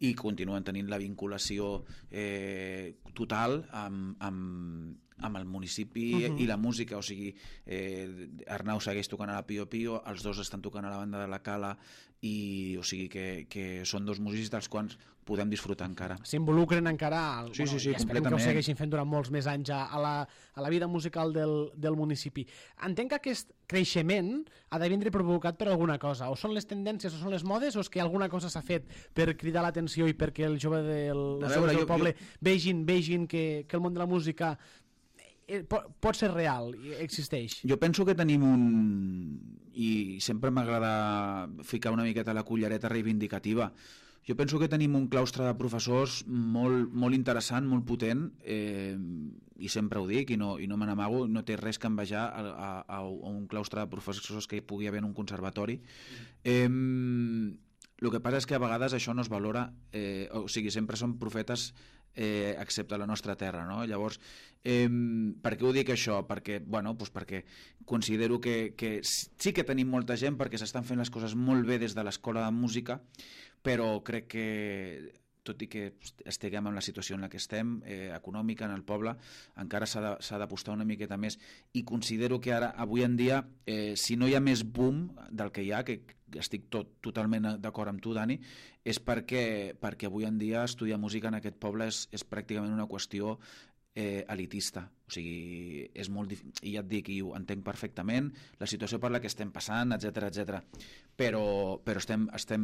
i continuen tenint la vinculació eh, total amb, amb, amb el municipi uh-huh. i la música, o sigui, eh, Arnau segueix tocant a la Pio Pio, els dos estan tocant a la banda de la Cala, i o sigui que, que són dos músics dels quals podem disfrutar encara. S'involucren encara al, sí, bueno, sí, sí, i esperem que ho segueixin fent durant molts més anys a, a, la, a la vida musical del, del municipi. Entenc que aquest creixement ha de vindre provocat per alguna cosa, o són les tendències o són les modes, o és que alguna cosa s'ha fet per cridar l'atenció i perquè el jove del, els veure, del jo, poble jo... vegin, vegin que, que el món de la música pot, pot ser real, existeix. Jo penso que tenim un... i sempre m'agrada ficar una miqueta la cullereta reivindicativa. Jo penso que tenim un claustre de professors molt, molt interessant, molt potent, eh, i sempre ho dic, i no, i no me n'amago, no té res que envejar a, a, a un claustre de professors que hi pugui haver en un conservatori. Eh, el que passa és que a vegades això no es valora, eh, o sigui, sempre són profetes eh, excepte la nostra terra, no? Llavors, eh, per què ho dic això? Perquè, bueno, doncs perquè considero que, que sí que tenim molta gent, perquè s'estan fent les coses molt bé des de l'escola de música, però crec que tot i que estiguem en la situació en la que estem, eh, econòmica en el poble, encara s'ha d'apostar una miqueta més, i considero que ara, avui en dia, eh, si no hi ha més boom del que hi ha, que estic tot, totalment d'acord amb tu, Dani, és perquè, perquè avui en dia estudiar música en aquest poble és, és pràcticament una qüestió eh, elitista. O sigui, és molt difícil, i ja et dic, i ho entenc perfectament, la situació per la que estem passant, etcètera etcètera. Però, però estem, estem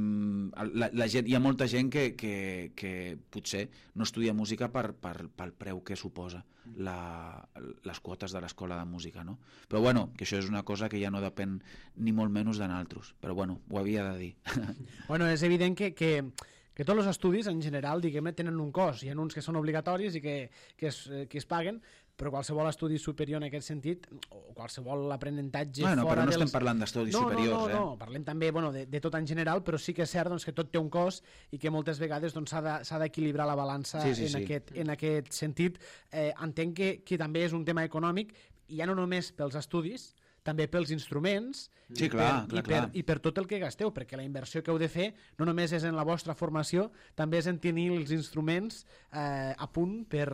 la, la gent, hi ha molta gent que, que, que potser no estudia música per, per, pel preu que suposa la, les quotes de l'escola de música, no? Però bueno, que això és una cosa que ja no depèn ni molt menys de nosaltres, però bueno, ho havia de dir. Bueno, és evident que, que, que tots els estudis en general, diguem-ne, tenen un cost. Hi ha uns que són obligatoris i que, que, es, que es paguen, però qualsevol estudi superior en aquest sentit, o qualsevol aprenentatge bueno, fora però no dels... estem parlant d'estudis no, superiors, no, no, eh? no, parlem també bueno, de, de tot en general, però sí que és cert doncs, que tot té un cost i que moltes vegades doncs, s'ha de, d'equilibrar la balança sí, sí, en, sí. Aquest, en aquest sentit. Eh, entenc que, que també és un tema econòmic, i ja no només pels estudis, també pels instruments sí, i, clar, per, clar, i, per, clar. i per tot el que gasteu, perquè la inversió que heu de fer no només és en la vostra formació, també és en tenir els instruments eh, a punt per,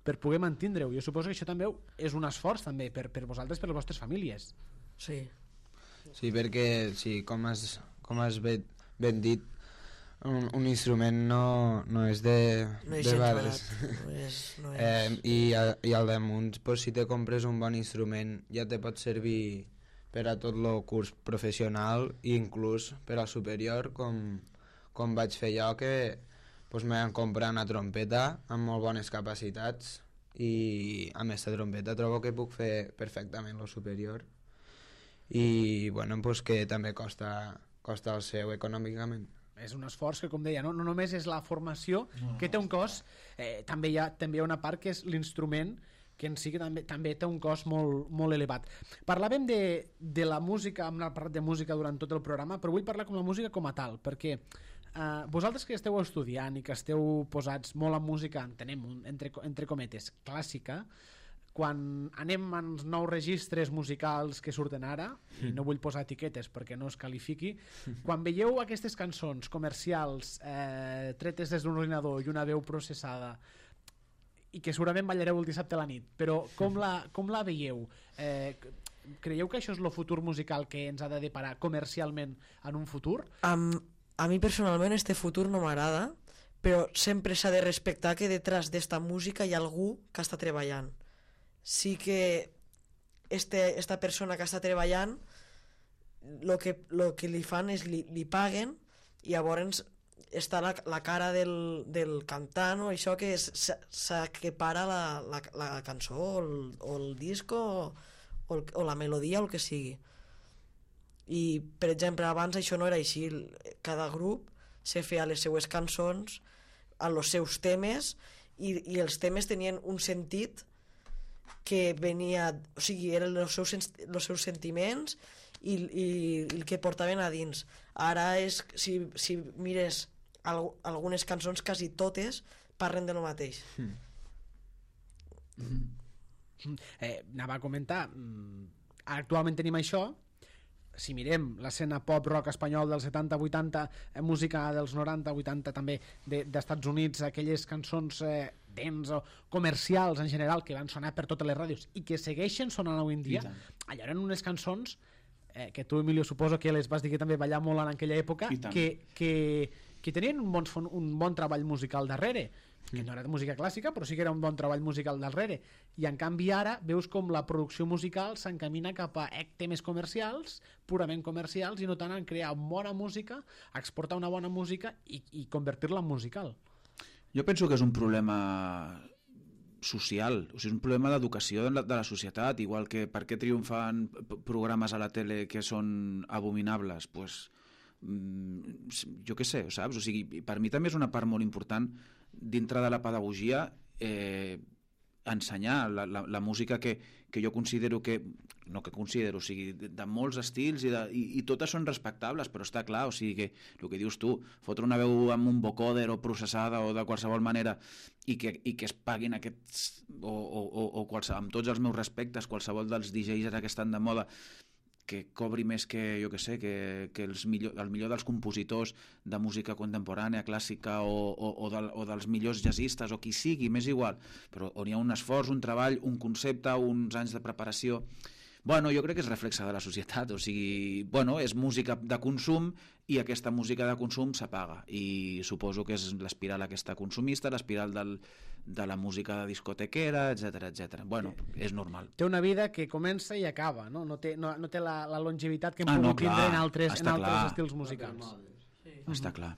per poder mantindre-ho. Jo suposo que això també és un esforç també per, per vosaltres, per les vostres famílies. Sí. Sí, perquè sí, com has, com has ben, ben dit, un, un instrument no, no és de, No és de gens bares. barat, no és... No és... Eh, i, a, I al damunt, pues, si te compres un bon instrument, ja te pot servir per a tot el curs professional i inclús per al superior, com, com vaig fer jo, que pues, me van comprar una trompeta amb molt bones capacitats i amb aquesta trompeta trobo que puc fer perfectament el superior i bueno, pues, que també costa, costa el seu econòmicament. És un esforç que, com deia, no, no només és la formació, no, que té un cost, eh, també, hi ha, també hi ha una part que és l'instrument, que en si que també, també té un cost molt, molt elevat. Parlàvem de, de la música, hem parlat de música durant tot el programa, però vull parlar com la música com a tal, perquè eh, vosaltres que esteu estudiant i que esteu posats molt en música, entenem, entre, entre cometes, clàssica, quan anem als nous registres musicals que surten ara, i no vull posar etiquetes perquè no es qualifiqui, quan veieu aquestes cançons comercials eh, tretes des d'un ordinador i una veu processada i que segurament ballareu el dissabte a la nit, però com la, com la veieu? Eh, creieu que això és el futur musical que ens ha de deparar comercialment en un futur? Am, a mi personalment este futur no m'agrada, però sempre s'ha de respectar que detrás d'esta música hi ha algú que està treballant. Sí que este, esta persona que està treballant lo que, lo que li fan és li, li paguen i llavors està la, la cara del, del cantant o això que s'equipara la, la, la cançó o el, o el disco o, o, el, o la melodia o el que sigui. I per exemple abans això no era així, cada grup se feia les seues cançons amb els seus temes i, i els temes tenien un sentit que venia, o sigui, eren els seus, els seus sentiments i, i, i el que portaven a dins. Ara és, si, si mires al, algunes cançons, quasi totes parlen de lo mateix. Mm. Mm. Eh, anava a comentar, actualment tenim això, si mirem l'escena pop-rock espanyol dels setanta vuitanta, eh, música dels noranta vuitanta també d'Estats de, Units, aquelles cançons eh, dents o comercials en general que van sonar per totes les ràdios i que segueixen sonant avui en dia, allà eren unes cançons eh, que tu, Emilio, suposo que les vas dir que també ballar molt en aquella època, que, que, que tenien un bon, un bon treball musical darrere, que no era de música clàssica, però sí que era un bon treball musical darrere, i en canvi ara veus com la producció musical s'encamina cap a temes comercials, purament comercials, i no tant en crear bona música, exportar una bona música i, i convertir-la en musical. Jo penso que és un problema social, o sigui, és un problema d'educació de, la, de la societat, igual que per què triomfan programes a la tele que són abominables, pues, jo què sé, saps? O sigui, per mi també és una part molt important dintre de la pedagogia eh, ensenyar la, la, la música que, que jo considero que, no que considero, o sigui, de, de molts estils i, de, i, i totes són respectables, però està clar, o sigui que el que dius tu, fotre una veu amb un vocoder o processada o de qualsevol manera i que, i que es paguin aquests o, o, o, o qualsevol, amb tots els meus respectes, qualsevol dels D Js ara que estan de moda, que cobri més que, jo que sé, que, que els millor, el millor dels compositors de música contemporània, clàssica o, o, o, del, o dels millors jazzistes o qui sigui, m'és igual, però on hi ha un esforç, un treball, un concepte, uns anys de preparació, Bueno, jo crec que és reflexe de la societat, o sigui, bueno, és música de consum i aquesta música de consum s'apaga i suposo que és l'espiral aquesta consumista, l'espiral del, de la música de discotequera, etcètera, etcètera. Bueno, és normal. Té una vida que comença i acaba, no? No té, no, no té la, la longevitat que hem Ah, pogut no, clar, tindre en altres, en està altres clar. estils musicals. Sí. Està clar.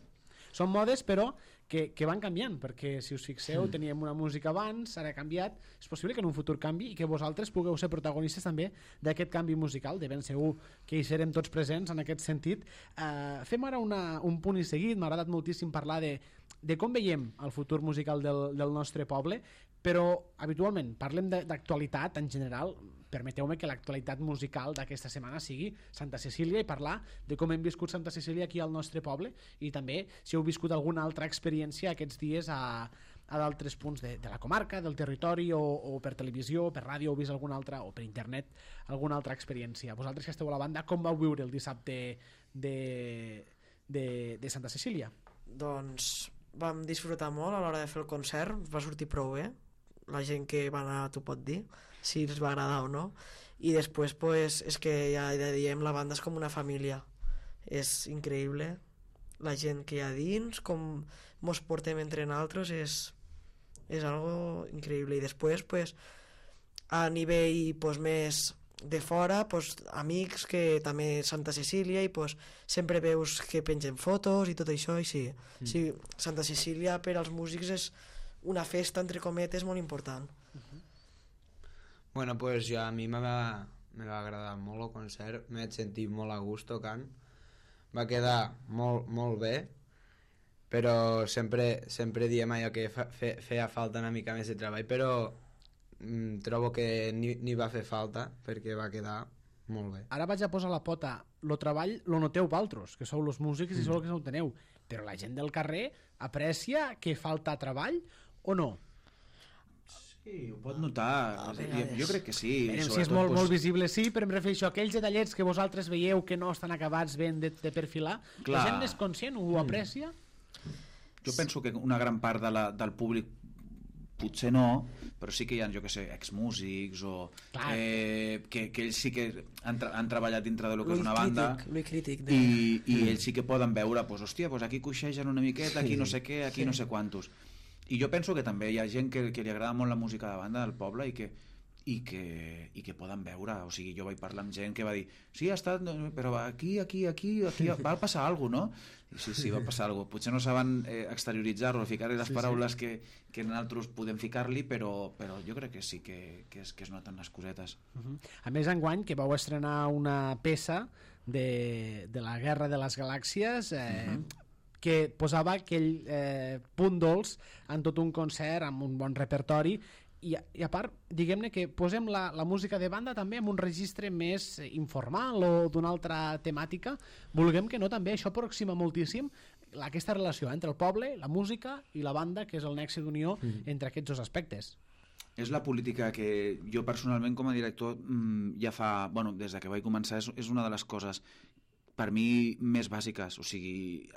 Són modes, però, que, que van canviant, perquè si us fixeu, mm. teníem una música abans, ara ha canviat, és possible que en un futur canvi i que vosaltres pugueu ser protagonistes també d'aquest canvi musical, de ben segur que hi serem tots presents en aquest sentit. Uh, fem ara una, un punt i seguit, m'ha agradat moltíssim parlar de, de com veiem el futur musical del, del nostre poble, però habitualment parlem d'actualitat en general. Permeteu-me que l'actualitat musical d'aquesta setmana sigui Santa Cecília i parlar de com hem viscut Santa Cecília aquí al nostre poble i també si heu viscut alguna altra experiència aquests dies a, a d'altres punts de, de la comarca, del territori o, o per televisió, per ràdio, heu vist alguna altra o per internet, alguna altra experiència. Vosaltres que esteu a la banda, com vau viure el dissabte de, de, de Santa Cecília? Doncs vam disfrutar molt a l'hora de fer el concert, va sortir prou bé, la gent que va anar t'ho pot dir, si els va agradar o no, i després pues, és que ja, ja diem, la banda és com una família, és increïble la gent que hi ha dins, com mos portem entre nosaltres, és, és algo increïble. I després pues, a nivell pues, més de fora, pues, amics que també Santa Cecília i pues, sempre veus que pengen fotos i tot això, i sí, mm. sí, Santa Cecília per als músics és una festa, entre cometes, molt important. Uh-huh. Bueno, pues jo, a mi me va, me va agradar molt el concert, m'he sentit molt a gust tocant, va quedar molt, molt bé, però sempre, sempre diem allò que fa, fe, feia falta una mica més de treball, però mm, trobo que ni, ni va fer falta perquè va quedar molt bé. Ara vaig a posar la pota, lo treball lo noteu valtros, que sou los músics i sou els que no ho teniu, però la gent del carrer aprecia que falta treball o no? Sí, ho pot notar, jo, jo crec que sí. Bé, si és molt, pues... molt visible, sí, però em refereixo a aquells detallets que vosaltres veieu que no estan acabats ben de, de perfilar, clar. La gent és conscient, ho aprecia? Jo penso que una gran part de la, del públic potser no, però sí que hi ha, jo que sé, exmúsics o eh, que, que ells sí que han, tra han treballat dintre de lo que és una banda crític de... i, i ells sí que poden veure, pues, hòstia, pues aquí coixegen una miqueta, aquí no sé què, aquí sí. no sé quantos. I jo penso que també hi ha gent que, que li agrada molt la música de banda del poble i que, i que, i que poden veure, o sigui, jo vaig parlar amb gent que va dir, sí, ha estat, però aquí, aquí, aquí, aquí va passar alguna cosa, no? I sí, sí, va passar alguna cosa. Potser no saben eh, exterioritzar-ho, ficar-hi les sí, paraules sí. que, que nosaltres podem ficar-li, però, però jo crec que sí que, que, es, que es noten les cosetes. Uh -huh. A més, enguany, que vau estrenar una peça de, de la Guerra de les Galàxies, eh, uh -huh. que posava aquell eh, punt dolç en tot un concert, amb un bon repertori, i a, i a part, diguem-ne que posem la, la música de banda també en un registre més informal o d'una altra temàtica. Vulguem que no, també això aproxima moltíssim aquesta relació entre el poble, la música i la banda, que és el nexe d'unió mm. entre aquests dos aspectes. És la política que jo personalment com a director mmm, ja fa, bueno, des de que vaig començar és, és una de les coses per mi més bàsiques, o sigui,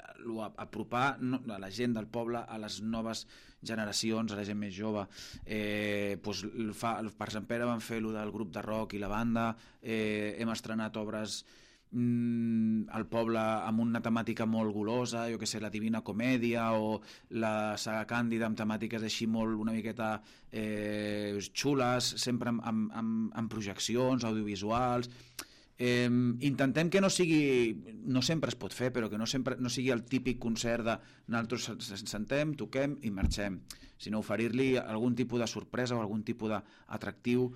apropar a la gent del poble, a les noves generacions, a la gent més jove. Eh, doncs fa, per Sant Pere van fer el del grup de rock i la banda, eh, hem estrenat obres mm, al poble amb una temàtica molt golosa, jo que sé, la Divina Comèdia o la saga Càndida amb temàtiques així molt una miqueta eh, xules, sempre amb, amb, amb, amb projeccions audiovisuals. Eh, intentem que no sigui, no sempre es pot fer, però que no sempre no sigui el típic concert de nosaltres ens sentem, toquem i marxem, sinó oferir-li algun tipus de sorpresa o algun tipus d'atractiu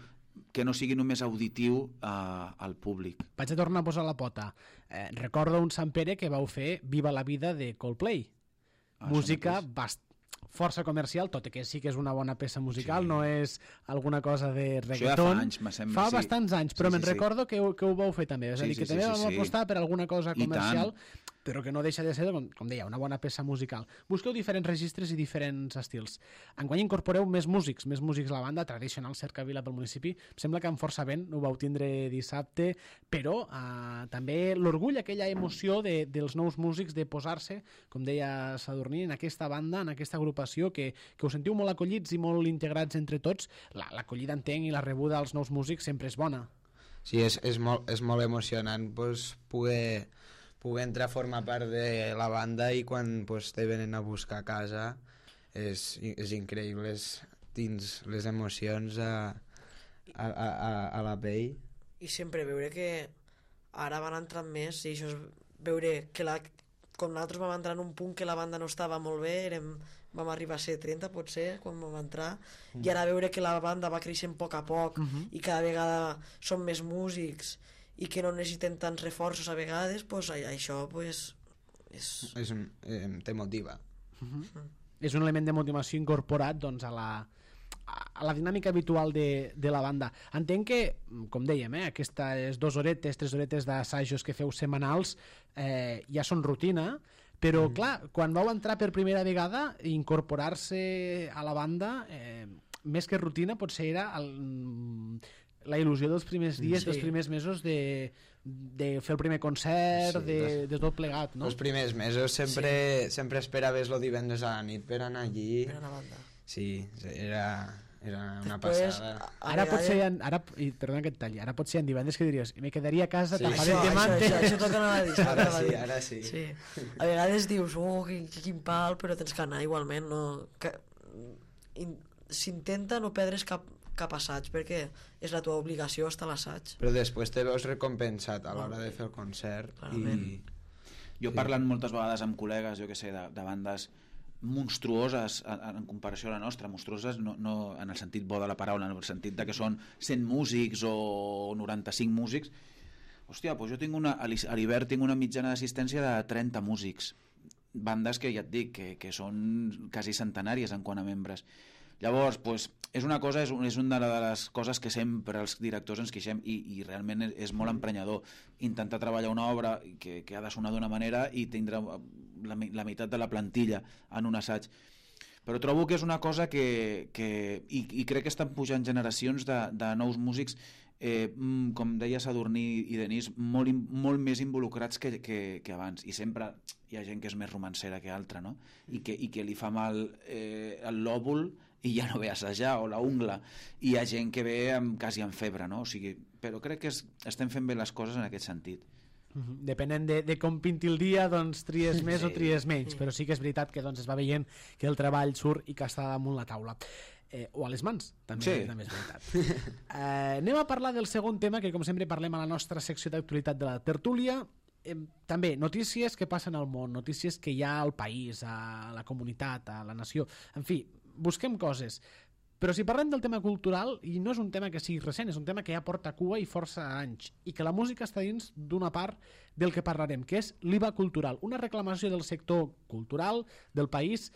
que no sigui només auditiu eh, al públic. Vaig a tornar a posar la pota. Eh, recordo un Sant Pere que vau fer Viva la vida de Coldplay. Ah, música bast força comercial, tot i que sí que és una bona peça musical, sí. No és alguna cosa de reggaeton. Això ja fa anys, me sembla. Fa sí. bastants anys, però sí, me'n sí, recordo sí. Que, que ho vau fer també. És a dir, sí, que sí, també sí, vam sí, apostar per alguna cosa comercial, però que no deixa de ser, com, com deia, una bona peça musical. Busqueu diferents registres i diferents estils. Enguany incorporeu més músics, més músics a la banda, tradicional cercavila pel municipi. Em sembla que amb força vent ho vau tindre dissabte, però eh, també l'orgull, aquella emoció de, dels nous músics de posar-se, com deia Sadurní, en aquesta banda, en aquesta agrupació, que, que us sentiu molt acollits i molt integrats entre tots. L'acollida, entenc, i la rebuda als nous músics sempre és bona. sí, és, és, molt, és molt emocionant pues, poder, poder entrar a formar part de la banda i quan pues, te venen a buscar a casa és, és increïble, és dins les emocions a, a, a, a la pell. I sempre veure que ara van entrant més i això és veure que la, com nosaltres vam entrar en un punt que la banda no estava molt bé, érem, vam arribar a ser trenta potser quan vam entrar, mm. i ara veure que la banda va creixent a poc a poc mm -hmm. i cada vegada són més músics i que no necessiten tants reforços a vegades, pues, això pues, és... és un, eh, te motiva. Mm -hmm. mm. És un element de motivació incorporat doncs, a la a la dinàmica habitual de, de la banda. Entenc que, com dèiem, eh, aquestes dues horetes, tres horetes d'assajos que feu setmanals eh, ja són rutina, però mm. clar, quan vau entrar per primera vegada, incorporar-se a la banda, eh, més que rutina, potser era el, la il·lusió dels primers dies, sí. dels primers mesos de, de fer el primer concert, sí, de, de tot plegat, no? Els primers mesos sempre, sí. sempre esperaves el divendres a la nit per anar allí. Per anar a banda. Sí, era, era una Després, passada. Ara potser, en, ara, i perdona que et talli, ara potser en divendres que diries me quedaria a casa, sí. tapat això, el això, mante. això, això toca anar a dir. Ara sí, ara sí. sí. A vegades dius, oh, quin, quin pal, però tens que anar igualment. No, s'intenta no perdre's cap, cap assaig, perquè és la teva obligació estar a l'assaig. Però després te veus recompensat a l'hora de fer el concert. I... Jo sí. parlant moltes vegades amb col·legues, jo que sé, de, de bandes monstruoses en, en comparació a la nostra, monstruoses no, no en el sentit bo de la paraula, en el sentit de que són cent músics o noranta-cinc músics. Hòstia, doncs jo tinc una, a l'hivern tinc una mitjana d'assistència de trenta músics, bandes que ja et dic que, que són quasi centenàries en quant a membres. Llavors, pues, és una cosa, és, un, és una de les coses que sempre els directors ens queixem i, i realment és, és molt emprenyador intentar treballar una obra que, que ha de sonar d'una manera i tindre la, la meitat de la plantilla en un assaig. Però trobo que és una cosa que, que i, i crec que estan pujant generacions de, de nous músics, eh, com deia Sadurní i Denis, molt, molt més involucrats que, que, que abans, i sempre hi ha gent que és més romancera que altra, no? I que, i que li fa mal eh, el lòbul i ja no ve a assajar, o la ungla, i hi ha gent que ve amb, quasi amb febre, no? O sigui, però crec que es, estem fent bé les coses en aquest sentit. Uh-huh. Depenent de, de com pinti el dia, doncs tries més sí. o tries menys, però sí que és veritat que doncs, es va veient que el treball surt i que està damunt la taula. Eh, o a les mans, també, sí. també és veritat. Eh, anem a parlar del segon tema, que com sempre parlem a la nostra secció d'actualitat de la tertúlia. Eh, també notícies que passen al món, notícies que hi ha al país, a la comunitat, a la nació, en fi, busquem coses. Però si parlem del tema cultural, i no és un tema que sigui recent, és un tema que ja porta cua i força anys, i que la música està dins d'una part del que parlarem, que és l'I V A cultural, una reclamació del sector cultural del país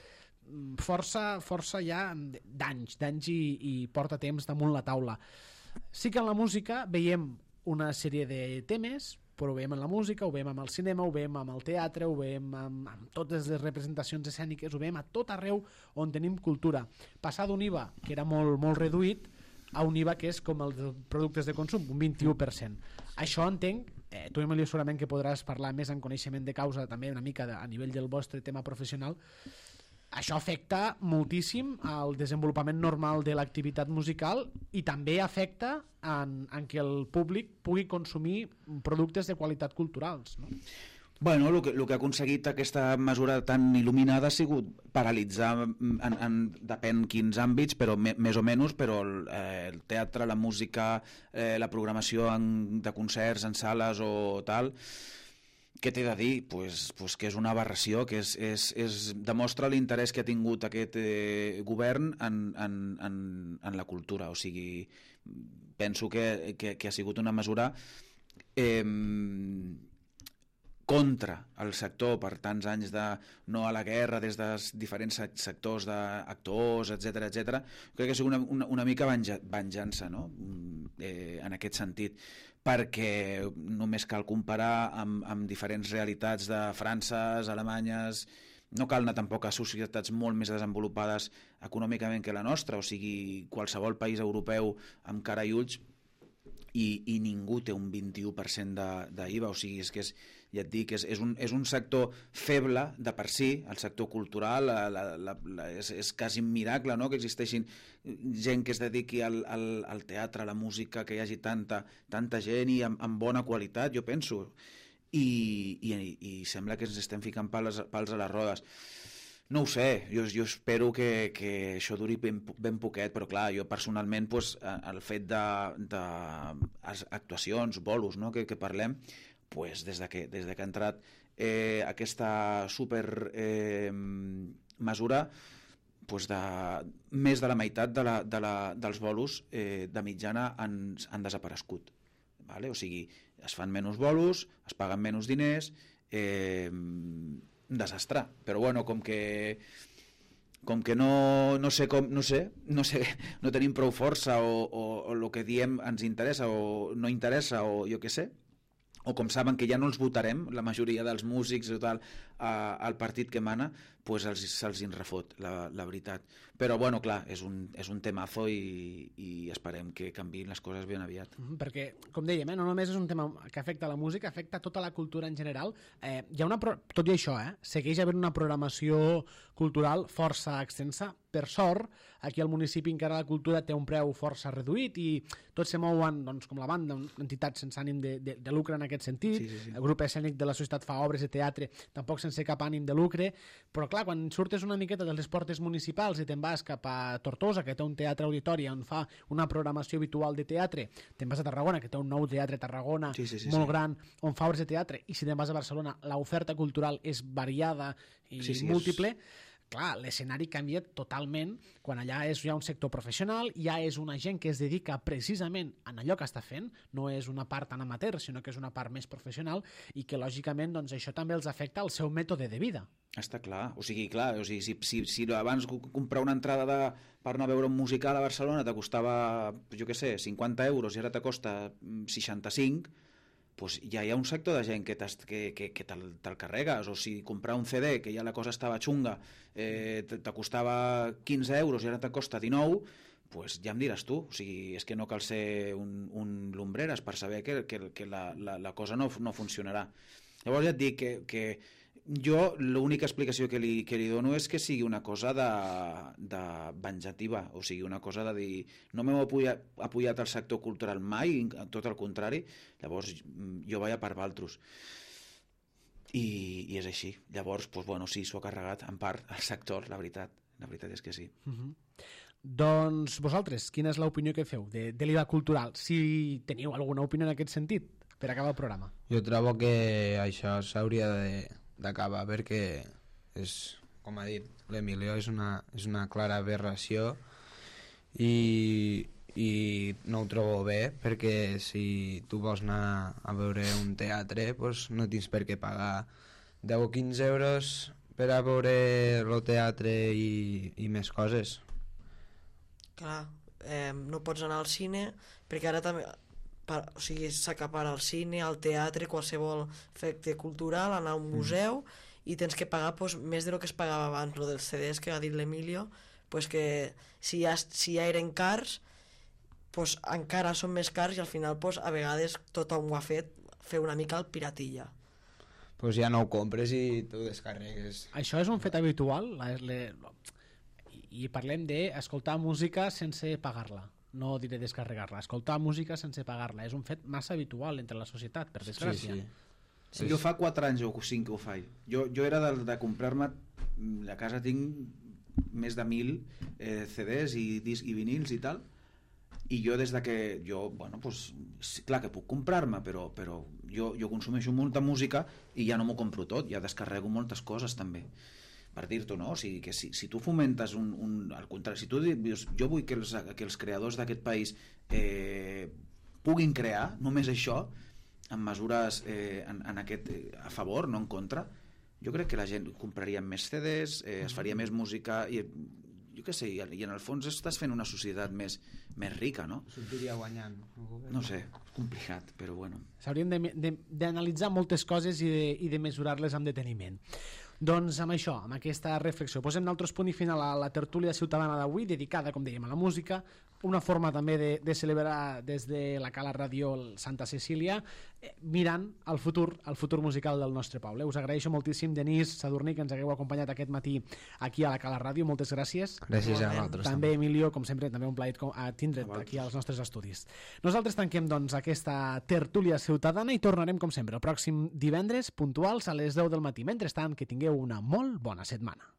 força, força ja d'anys, d'anys i, i porta temps damunt la taula. Sí que en la música veiem una sèrie de temes, però ho veiem en la música, ho veiem amb el cinema, ho veiem amb el teatre, ho veiem amb, amb totes les representacions escèniques, ho veiem a tot arreu on tenim cultura. Passar d'un I V A, que era molt, molt reduït, a un I V A que és com els productes de consum, un vint-i-u per cent. Això entenc, eh, tu Emilio segurament que podràs parlar més en coneixement de causa, també una mica de, a nivell del vostre tema professional, això afecta moltíssim al desenvolupament normal de l'activitat musical i també afecta en, en que el públic pugui consumir productes de qualitat culturals, no? Bueno, el que, el que ha aconseguit aquesta mesura tan il·luminada ha sigut paralitzar, en, en, depèn quins àmbits, però me, més o menys, però el, eh, el teatre, la música, eh, la programació en, de concerts en sales o tal. Què t'he de dir? Pues, pues que és una aberració, que és, és, és, demostra l'interès que ha tingut aquest eh, govern en, en, en, en la cultura. O sigui, penso que, que, que ha sigut una mesura eh, contra el sector per tants anys de no a la guerra des dels diferents sectors d'actors, etcètera, etcètera. Crec que ha sigut una, una, una mica venjança, no? eh, en aquest sentit, perquè només cal comparar amb, amb diferents realitats de França, Alemanyes, no cal anar tampoc a societats molt més desenvolupades econòmicament que la nostra, o sigui, qualsevol país europeu amb cara i ulls, i, i ningú té un vint-i-u per cent d'I V A, o sigui, és que és, ja et dic, és, és, un, és un sector feble de per si, el sector cultural, la, la, la, la, és, és quasi un miracle, no?, que existeixin gent que es dediqui al, al, al teatre, a la música, que hi hagi tanta, tanta gent i amb, amb bona qualitat, jo penso, i, i, i sembla que ens estem ficant pals, pals a les rodes. No ho sé, jo, jo espero que, que això duri ben, ben poquet, però clar, jo personalment pues, el fet de, de actuacions, bolos, no?, que, que parlem, pues, des, de que, des de que ha entrat eh, aquesta super eh, mesura, pues, de, més de la meitat de la, de la, dels bolos eh, de mitjana han, han desaparegut. Vale? O sigui, es fan menys bolos, es paguen menys diners, eh, un desastre, però bueno, com que com que no, no sé com, no sé, no sé, no tenim prou força o, o, o el que diem ens interessa o no interessa o jo què sé, o com saben que ja no els votarem, la majoria dels músics i tal, a, al partit que mana, pues els, se'ls en refot, la, la veritat. Però, bueno, clar, és un, és un temazo i, i esperem que canviïn les coses ben aviat. Mm, perquè, com dèiem, eh, no només és un tema que afecta la música, afecta tota la cultura en general. Eh, hi ha una pro... Tot i això, eh, segueix havent una programació cultural força extensa. Per sort, aquí al municipi encara la cultura té un preu força reduït i tots se mouen, doncs, com la banda, entitats sense ànim de, de, de lucre en aquest sentit. Sí, sí, sí. El grup escènic de la societat fa obres de teatre, tampoc sense cap ànim de lucre, però clar, quan surtes una miqueta de les portes municipals i te'n vas cap a Tortosa, que té un teatre auditori on fa una programació habitual de teatre, te'n vas a Tarragona, que té un nou teatre a Tarragona, sí, sí, sí, molt sí. gran, on fa obres de teatre, i si te'n vas a Barcelona, l'oferta cultural és variada i sí, sí, múltiple, és... Clar, l'escenari canvia totalment quan allà és ja un sector professional, ja és una gent que es dedica precisament a allò que està fent, no és una part tan amateur, sinó que és una part més professional i que lògicament doncs, això també els afecta al seu mètode de vida. Està clar, o sigui, clar, o sigui, si, si, si abans comprar una entrada de, per anar a veure un musical a Barcelona te costava, jo què sé, cinquanta euros i ara te costa seixanta-cinc, pues ja hi ha un sector de gent que, que, que, que te'l, te'l carregues, o si comprar un C D, que ja la cosa estava xunga, eh, te, te costava quinze euros i ara te costa dinou, pues ja em diràs tu, o sigui, és que no cal ser un, un lumbreres per saber que, que, que la, la, la cosa no, no funcionarà. Llavors ja et dic que, que jo l'única explicació que li, que li dono és que sigui una cosa de, de venjativa, o sigui, una cosa de dir no m'heu apoyat, apoyat al sector cultural mai, tot el contrari, llavors jo vaig a per valtros. I, i és així. Llavors, doncs, bueno, sí, s'ho ha carregat en part el sector, la veritat. La veritat és que sí. Uh-huh. Doncs vosaltres, quina és l'opinió que feu de, de l'I V A cultural? Si teniu alguna opinió en aquest sentit, per acabar el programa. Jo trobo que això s'hauria de d'acabar perquè és, com ha dit l'Emilio, és una, és una clara aberració i, i no ho trobo bé perquè si tu vols anar a veure un teatre pues no tens per què pagar deu o quinze euros per a veure el teatre i, i més coses. Clar, eh, no pots anar al cine perquè ara també per, o sigui, s'acapara al cine, al teatre, qualsevol efecte cultural, anar a un museu mm. i tens que pagar pues, més de lo que es pagava abans, lo dels C Ds que ha dit l'Emilio, pues que si ja, si ja eren cars, pues encara són més cars i al final pues, a vegades tothom ho ha fet, fer una mica el piratilla. Pues ja no ho compres i t'ho descarregues. Això és un fet habitual? La, le, I parlem d'escoltar música sense pagar-la. No diré descarregar-la, escoltar música sense pagar-la és un fet massa habitual entre la societat, per desgràcia. Sí, sí. Sí. Jo fa quatre anys o cinc que ho faig. Jo, jo era de, de comprar-me, a casa tinc més de mil eh, C Ds i, disc, i vinils i tal, i jo des de que jo, bueno, pues, clar que puc comprar-me, però, però jo, jo consumeixo molta música i ja no m'ho compro tot, ja descarrego moltes coses també. Per dir-t'ho, no? O sigui, que si, si tu fomentes un, un, al contrari, si tu dius, jo vull que els, que els creadors d'aquest país eh, puguin crear només això, amb mesures eh, en, en aquest, eh, a favor, no en contra, jo crec que la gent compraria més C Ds, eh, es faria més música i jo què sé, i, i en el fons estàs fent una societat més, més rica, no? Sortiria guanyant. No sé, és complicat, però bueno. S'haurien d'analitzar moltes coses i de, i de mesurar-les amb deteniment. Doncs amb això, amb aquesta reflexió, posem nosaltres punt i final a la tertúlia ciutadana d'avui, dedicada, com dèiem, a la música, una forma també de, de celebrar des de la Cala Ràdio Santa Cecília, eh, mirant el futur, el futur musical del nostre poble. Us agraeixo moltíssim, Denis, Sadurní, que ens hagueu acompanyat aquest matí aquí a la Cala Ràdio, moltes gràcies. Gràcies a vosaltres. També, Emilio, com sempre, també un plaer a tindre't aquí als nostres estudis. Nosaltres tanquem doncs aquesta tertúlia ciutadana i tornarem, com sempre, el pròxim divendres, puntuals a les deu del matí. Mentrestant, que tingueu una molt bona setmana.